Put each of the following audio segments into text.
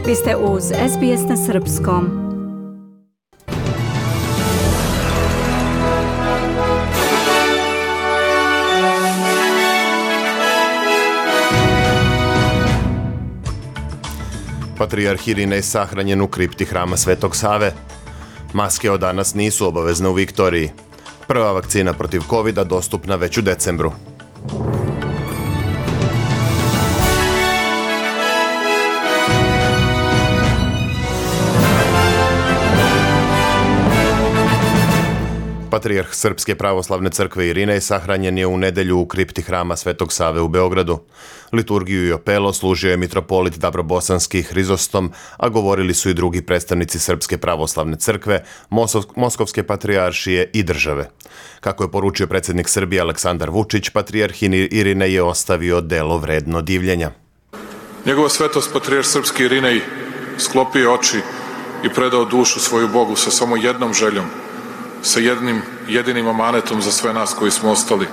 Vi ste uz SBS na srpskom. Patrijarh Irinej sahranjen u kripti hrama Svetog Save. Maske od danas nisu obavezne u Viktoriji. Prva vakcina protiv covida dostupna već u decembru. Patrijarh Srpske pravoslavne crkve Irinej sahranjen je u nedjelju u kripti hrama Svetog Save u Beogradu. Liturgiju i opelo služio je mitropolit Dabrobosanski Hrizostom, a govorili su i drugi predstavnici Srpske pravoslavne crkve, Moskovske patrijaršije i države. Kako je poručio predsjednik Srbije Aleksandar Vučić, patrijarh Irinej je ostavio delo vredno divljenja. Njegova svetost patrijarh Srpski Irinej sklopio oči i predao dušu svoju Bogu sa samo jednom željom, sa jednim jedinim amanetom za sve nas koji smo ostali,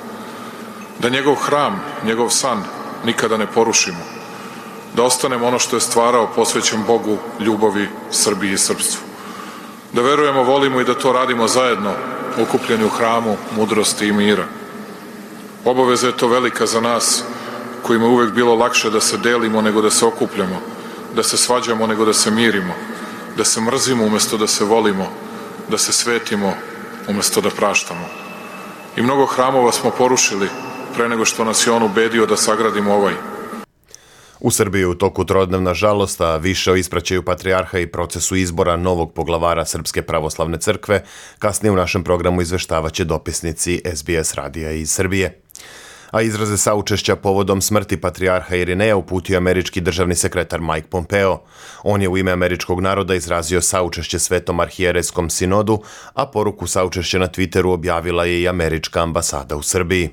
da njegov hram, njegov san nikada ne porušimo, da ostanemo ono što je stvarao posvećen Bogu, ljubavi, Srbiji i srpstvu, da verujemo, volimo i da to radimo zajedno, okupljeni u hramu mudrosti i mira. Obaveza je to velika za nas kojima je uvek bilo lakše da se delimo nego da se okupljamo, da se svađamo nego da se mirimo, da se mrzimo umesto da se volimo, da se svetimo umesto da praštamo. I mnogo hramova smo porušili pre nego što nas je on ubedio da sagradimo ovaj. U Srbiji je u toku trodnevna žalost, a više o ispraćaju patrijarha i procesu izbora novog poglavara Srpske pravoslavne crkve kasnije u našem programu izveštavaće dopisnici SBS radija iz Srbije. A izraze saučešća povodom smrti patrijarha Irineja uputio američki državni sekretar Mike Pompeo. On je u ime američkog naroda izrazio saučešće Svetom arhijerejskom sinodu, a poruku saučešća na Twitteru objavila je i američka ambasada u Srbiji.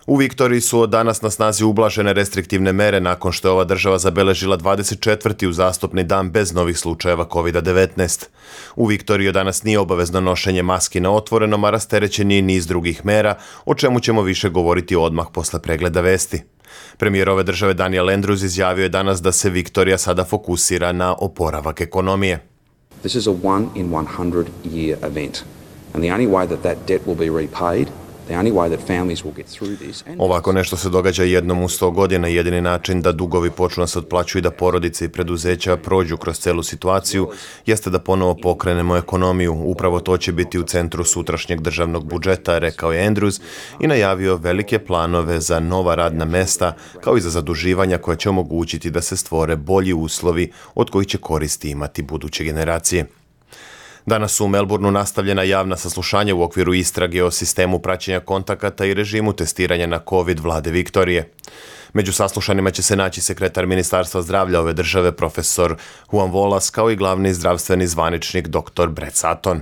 U Viktoriji su od danas na snazi ublažene restriktivne mere nakon što je ova država zabeležila 24. uzastopni dan bez novih slučajeva COVID-19. U Viktoriji od danas nije obavezno nošenje maski na otvorenom, a rasterećen je niz drugih mera, o čemu ćemo više govoriti odmah posle pregleda vesti. Premijer ove države Daniel Andrews izjavio je danas da se Viktorija sada fokusira na oporavak ekonomije. This is a one in 100 year event, and the only way that debt will be repaid. Ovako nešto se događa jednom u 100 godina. Jedini način da dugovi počnu da se otplaćuju i da porodice i preduzeća prođu kroz celu situaciju jeste da ponovo pokrenemo ekonomiju. Upravo to će biti u centru sutrašnjeg državnog budžeta, rekao je Andrews i najavio velike planove za nova radna mesta kao i za zaduživanja koja će omogućiti da se stvore bolji uslovi od kojih će koristi imati buduće generacije. Danas su u Melbourneu nastavljena javna saslušanja u okviru istrage o sistemu praćenja kontakata i režimu testiranja na COVID vlade Viktorije. Među saslušanima će se naći sekretar Ministarstva zdravlja ove države, profesor Juan Volas, kao i glavni zdravstveni zvaničnik dr. Brett Sutton.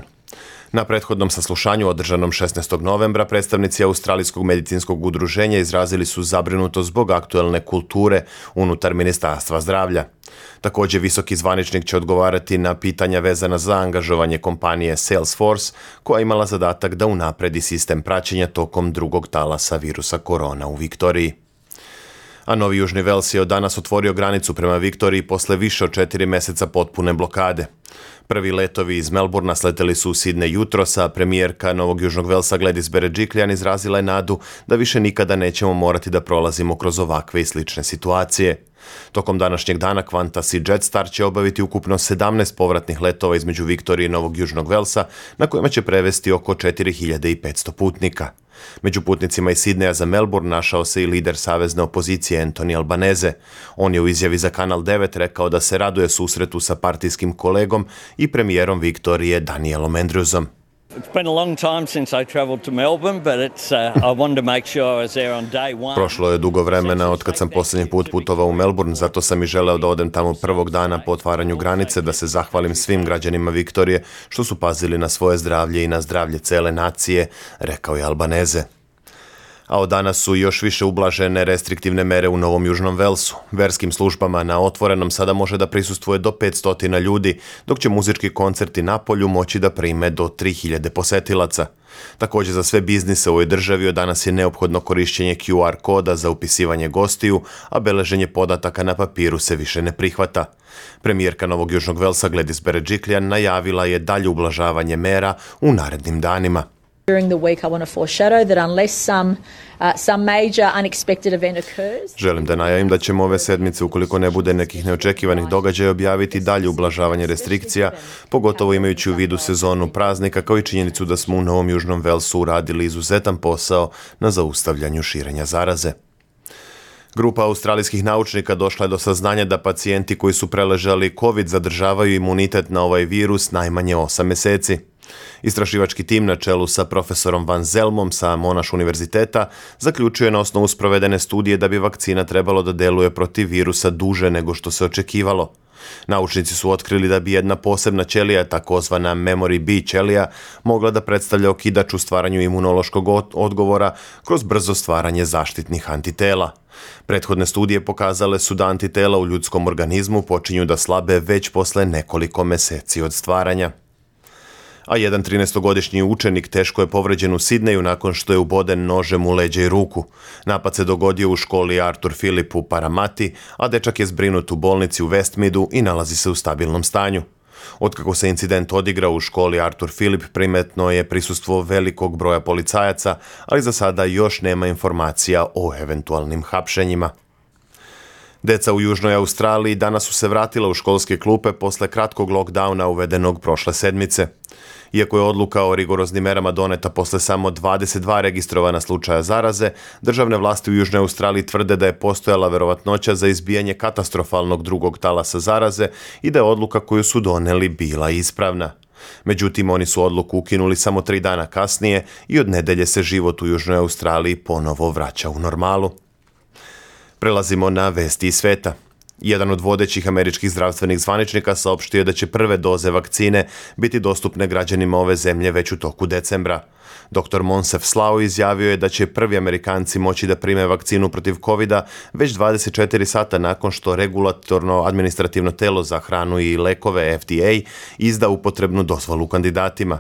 Na prethodnom saslušanju održanom 16. novembra predstavnici Australijskog medicinskog udruženja izrazili su zabrinutost zbog aktuelne kulture unutar Ministarstva zdravlja. Također visoki zvaničnik će odgovarati na pitanja vezana za angažovanje kompanije Salesforce, koja je imala zadatak da unapredi sistem praćenja tokom drugog talasa virusa korona u Viktoriji. A Novi Južni Vels je od danas otvorio granicu prema Viktoriji posle više od 4 mjeseca potpune blokade. Prvi letovi iz Melbourna sleteli su u Sidney jutros, a premijerka Novog Južnog Velsa Gladys Berejiklian izrazila je nadu da više nikada nećemo morati da prolazimo kroz ovakve i slične situacije. Tokom današnjeg dana Qantas i Jetstar će obaviti ukupno 17 povratnih letova između Viktorije i Novog Južnog Velsa, na kojima će prevesti oko 4500 putnika. Među putnicima iz Sidneja za Melbourne našao se i lider savezne opozicije Anthony Albanese. On je u izjavi za Kanal 9 rekao da se raduje susretu sa partijskim kolegom i premijerom Viktorije Danielom Andrewsom. Prošlo je dugo vremena od kad sam posljednji put putovao u Melbourne, zato sam i želeo da odem tamo prvog dana po otvaranju granice, da se zahvalim svim građanima Viktorije što su pazili na svoje zdravlje i na zdravlje cele nacije, rekao je Albanese. A od danas su još više ublažene restriktivne mere u Novom Južnom Velsu. Verskim službama na otvorenom sada može da prisustvuje do 500 ljudi, dok će muzički koncerti na polju moći da prime do 3000 posetilaca. Također za sve biznise u ovoj državi od danas je neophodno korišćenje QR koda za upisivanje gostiju, a beleženje podataka na papiru se više ne prihvata. Premijerka Novog Južnog Velsa Gladys Berejiklian najavila je dalje ublažavanje mera u narednim danima. During the week, I want to foreshadow that unless some major unexpected event occurs. Želim da najavim da ćemo ove sedmice, ukoliko ne bude nekih neočekivanih događaja, objaviti dalje ublažavanje restrikcija, pogotovo imajući u vidu sezonu praznika, kao i činjenicu da smo u Novom Južnom Velsu uradili izuzetan posao na zaustavljanju širenja zaraze. Grupa australijskih naučnika došla je do saznanja da pacijenti koji su preležali COVID zadržavaju imunitet na ovaj virus najmanje 8 meseci. Istraživački tim na čelu sa profesorom Van Zelmom sa Monash univerziteta zaključuje na osnovu sprovedene studije da bi vakcina trebalo da deluje protiv virusa duže nego što se očekivalo. Naučnici su otkrili da bi jedna posebna ćelija, takozvana memory B ćelija, mogla da predstavlja okidač u stvaranju imunološkog odgovora kroz brzo stvaranje zaštitnih antitela. Prethodne studije pokazale su da antitela u ljudskom organizmu počinju da slabe već posle nekoliko meseci od stvaranja. A jedan 13-godišnji učenik teško je povređen u Sidneju nakon što je uboden nožem u leđa i ruku. Napad se dogodio u školi Arthur Phillip u Paramati, a dečak je zbrinut u bolnici u Westmeadu i nalazi se u stabilnom stanju. Otkako se incident odigrao u školi Arthur Phillip, primetno je prisustvo velikog broja policajaca, ali za sada još nema informacija o eventualnim hapšenjima. Deca u Južnoj Australiji danas su se vratila u školske klupe posle kratkog lockdowna uvedenog prošle sedmice. Iako je odluka o rigoroznim merama doneta posle samo 22 registrovana slučaja zaraze, državne vlasti u Južnoj Australiji tvrde da je postojala verovatnoća za izbijanje katastrofalnog drugog talasa zaraze i da je odluka koju su doneli bila ispravna. Međutim, oni su odluku ukinuli samo 3 dana kasnije i od nedelje se život u Južnoj Australiji ponovo vraća u normalu. Prelazimo na vesti iz sveta. Jedan od vodećih američkih zdravstvenih zvaničnika saopštio je da će prve doze vakcine biti dostupne građanima ove zemlje već u toku decembra. Dr. Moncef Slao izjavio je da će prvi Amerikanci moći da prime vakcinu protiv COVID-a već 24 sata nakon što regulatorno administrativno telo za hranu i lekove FDA izda upotrebnu dozvolu kandidatima.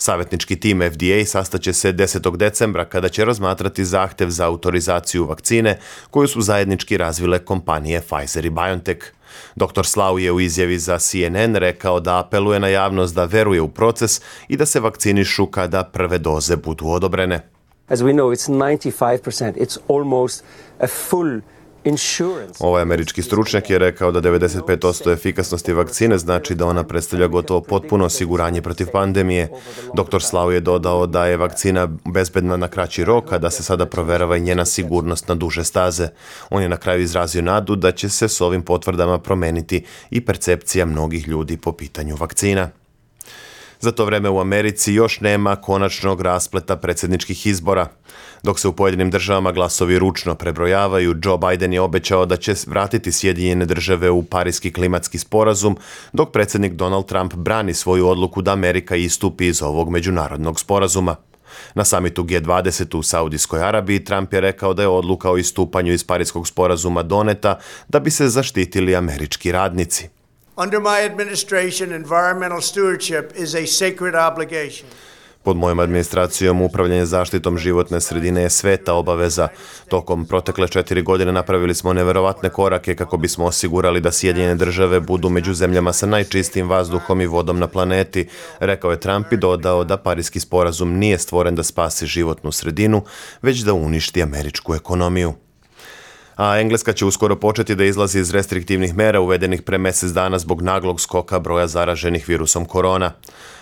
Savjetnički tim FDA sastaće se 10. decembra kada će razmatrati zahtev za autorizaciju vakcine koju su zajednički razvile kompanije Pfizer i BioNTech. Dr. Slau je u izjavi za CNN rekao da apeluje na javnost da veruje u proces i da se vakcinišu kada prve doze budu odobrene. As we know, it's 95%. It's almost a full insurance. Ovaj američki stručnjak je rekao da 95% efikasnosti vakcine znači da ona predstavlja gotovo potpuno osiguranje protiv pandemije. Dr. Slau je dodao da je vakcina bezbedna na kraći rok, a da se sada proverava i njena sigurnost na duže staze. On je na kraju izrazio nadu da će se s ovim potvrdama promeniti i percepcija mnogih ljudi po pitanju vakcina. Za to vreme u Americi još nema konačnog raspleta predsjedničkih izbora. Dok se u pojedinim državama glasovi ručno prebrojavaju, Joe Biden je obećao da će vratiti Sjedinjene Države u Pariski klimatski sporazum, dok predsjednik Donald Trump brani svoju odluku da Amerika istupi iz ovog međunarodnog sporazuma. Na samitu G20 u Saudijskoj Arabiji Trump je rekao da je odluka o istupanju iz Pariskog sporazuma doneta da bi se zaštitili američki radnici. Under my administration, environmental stewardship is a sacred obligation. Pod mojom administracijom upravljanje zaštitom životne sredine je sveta obaveza. Tokom protekle 4 godine napravili smo neverovatne korake kako bismo osigurali da Sjedinjene Države budu među zemljama sa najčistijim vazduhom i vodom na planeti, rekao je Trump i dodao da Pariski sporazum nije stvoren da spasi životnu sredinu, već da uništi američku ekonomiju. A Engleska će uskoro početi da izlazi iz restriktivnih mera uvedenih pre mjesec dana zbog naglog skoka broja zaraženih virusom korona.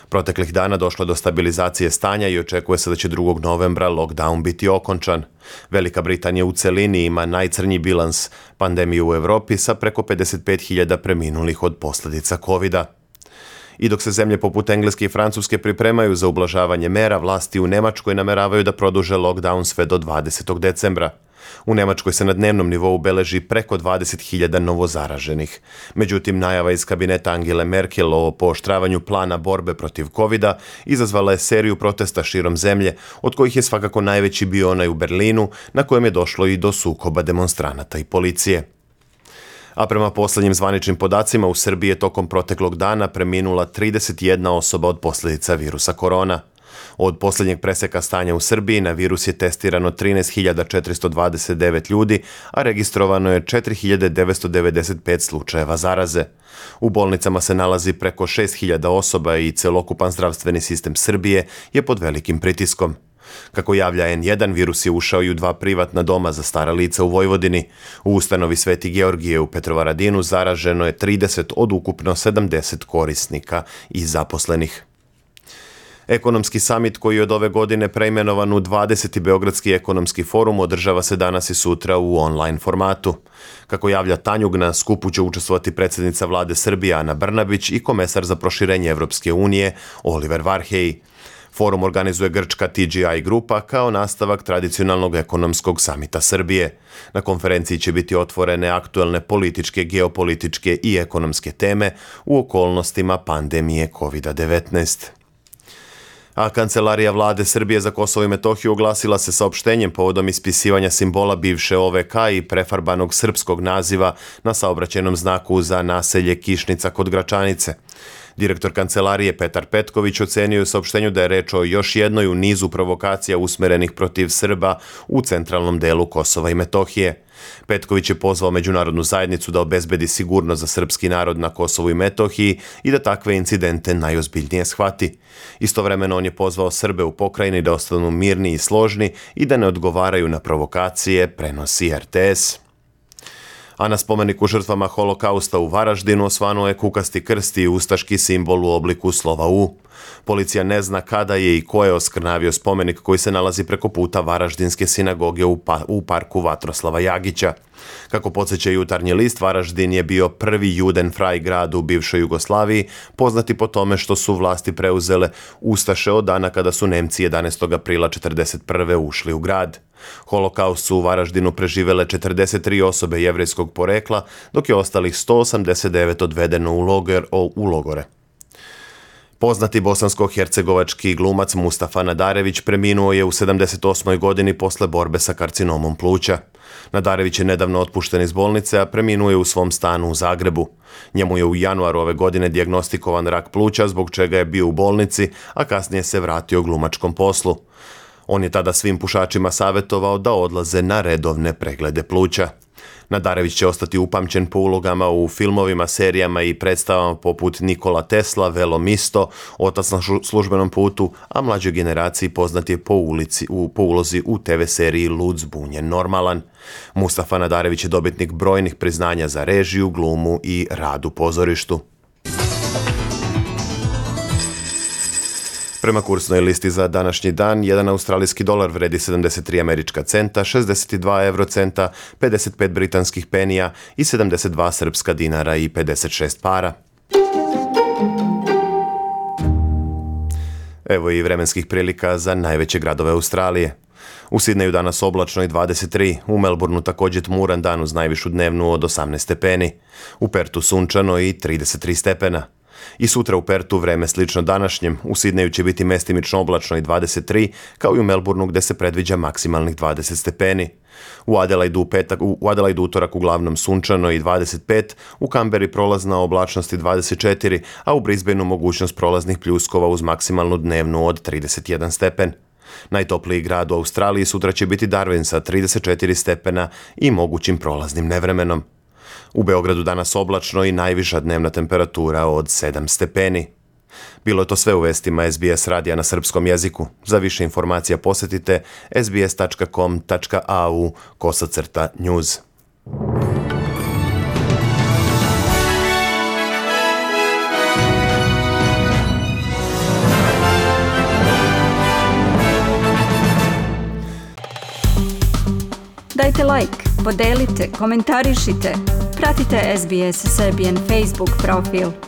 Proteklih dana došlo je do stabilizacije stanja i očekuje se da će 2. novembra lockdown biti okončan. Velika Britanija u celini ima najcrnji bilans pandemije u Europi sa preko 55.000 preminulih od posljedica COVID-a. I dok se zemlje poput Engleske i Francuske pripremaju za ublažavanje mera, vlasti u Njemačkoj nameravaju da produže lockdown sve do 20. decembra. U Njemačkoj se na dnevnom nivou beleži preko 20.000 novozaraženih. Međutim, najava iz kabineta Angele Merkel o pooštravanju plana borbe protiv covida izazvala je seriju protesta širom zemlje, od kojih je svakako najveći bio onaj u Berlinu, na kojem je došlo i do sukoba demonstranata i policije. A prema posljednjim zvaničnim podacima u Srbiji je tokom proteklog dana preminula 31 osoba od posljedica virusa korona. Od posljednjeg preseka stanja u Srbiji na virus je testirano 13.429 ljudi, a registrovano je 4.995 slučajeva zaraze. U bolnicama se nalazi preko 6.000 osoba i celokupan zdravstveni sistem Srbije je pod velikim pritiskom. Kako javlja N1, virus je ušao i u 2 privatna doma za stara lica u Vojvodini. U ustanovi Sveti Georgije u Petrovaradinu zaraženo je 30 od ukupno 70 korisnika i zaposlenih. Ekonomski samit koji je od ove godine preimenovan u 20. Beogradski ekonomski forum održava se danas i sutra u online formatu. Kako javlja Tanjug, na skupu će učestvovati predsjednica vlade Srbije Ana Brnabić i komesar za proširenje Evropske unije Oliver Varhelyi. Forum organizuje grčka TGI grupa kao nastavak tradicionalnog ekonomskog samita Srbije. Na konferenciji će biti otvorene aktuelne političke, geopolitičke i ekonomske teme u okolnostima pandemije COVID-19. A Kancelarija vlade Srbije za Kosovo i Metohiju oglasila se saopštenjem povodom ispisivanja simbola bivše OVK i prefarbanog srpskog naziva na saobraćajnom znaku za naselje Kišnica kod Gračanice. Direktor Kancelarije Petar Petković ocenio u saopštenju da je reč o još jednoj u nizu provokacija usmerenih protiv Srba u centralnom delu Kosova i Metohije. Petković je pozvao međunarodnu zajednicu da obezbedi sigurnost za srpski narod na Kosovu i Metohiji i da takve incidente najozbiljnije shvati. Istovremeno on je pozvao Srbe u pokrajini da ostanu mirni i složni i da ne odgovaraju na provokacije, prenosi RTS. A na spomeniku žrtvama holokausta u Varaždinu osvanuo je kukasti krst i ustaški simbol u obliku slova U. Policija ne zna kada je i ko je oskrnavio spomenik koji se nalazi preko puta Varaždinske sinagoge u parku Vatroslava Jagića. Kako podsjeća Jutarnji list, Varaždin je bio prvi Judenfrei grad u bivšoj Jugoslaviji, poznati po tome što su vlasti preuzele ustaše od dana kada su Nemci 11. aprila 1941. ušli u grad. Holokaust su u Varaždinu preživele 43 osobe jevrejskog porekla, dok je ostalih 189 odvedeno u logore. Poznati bosansko-hercegovački glumac Mustafa Nadarević preminuo je u 78. godini posle borbe sa karcinomom pluća. Nadarević je nedavno otpušten iz bolnice, a preminuo je u svom stanu u Zagrebu. Njemu je u januaru ove godine dijagnostikovan rak pluća, zbog čega je bio u bolnici, a kasnije se vratio glumačkom poslu. On je tada svim pušačima savjetovao da odlaze na redovne preglede pluća. Nadarević će ostati upamćen po ulogama u filmovima, serijama i predstavama poput Nikola Tesla, Velo Misto, Otac na službenom putu, a mlađoj generaciji poznat je po ulozi u TV seriji Lud, zbunjen, normalan. Mustafa Nadarević je dobitnik brojnih priznanja za režiju, glumu i rad u pozorištu. Prema kursnoj listi za današnji dan, 1 australijski dolar vredi 73 američka centa, 62 eurocenta, 55 britanskih penija i 72 srpska dinara i 56 para. Evo i vremenskih prilika za najveće gradove Australije. U Sidneju danas oblačno i 23, u Melbourneu također tmuran dan uz najvišu dnevnu od 18 stepeni, u Pertu sunčano i 33 stepena. I sutra u Pertu vreme slično današnjem, u Sidneju će biti mestimično oblačno i 23, kao i u Melbourneu gde se predviđa maksimalnih 20 stepeni. U Adelaidu utorak uglavnom sunčano i 25, u Kamberi prolazna oblačnost i 24, a u Brisbaneu mogućnost prolaznih pljuskova uz maksimalnu dnevnu od 31 stepen. Najtopliji grad u Australiji sutra će biti Darwin sa 34 stepena i mogućim prolaznim nevremenom. U Beogradu danas oblačno i najviša dnevna temperatura od 7 stepeni. Bilo je to sve u vestima SBS radija na srpskom jeziku. Za više informacija posjetite sbs.com.au/news. Dajte like, podelite, komentarišite. Pratite SBS Serbian Facebook profil.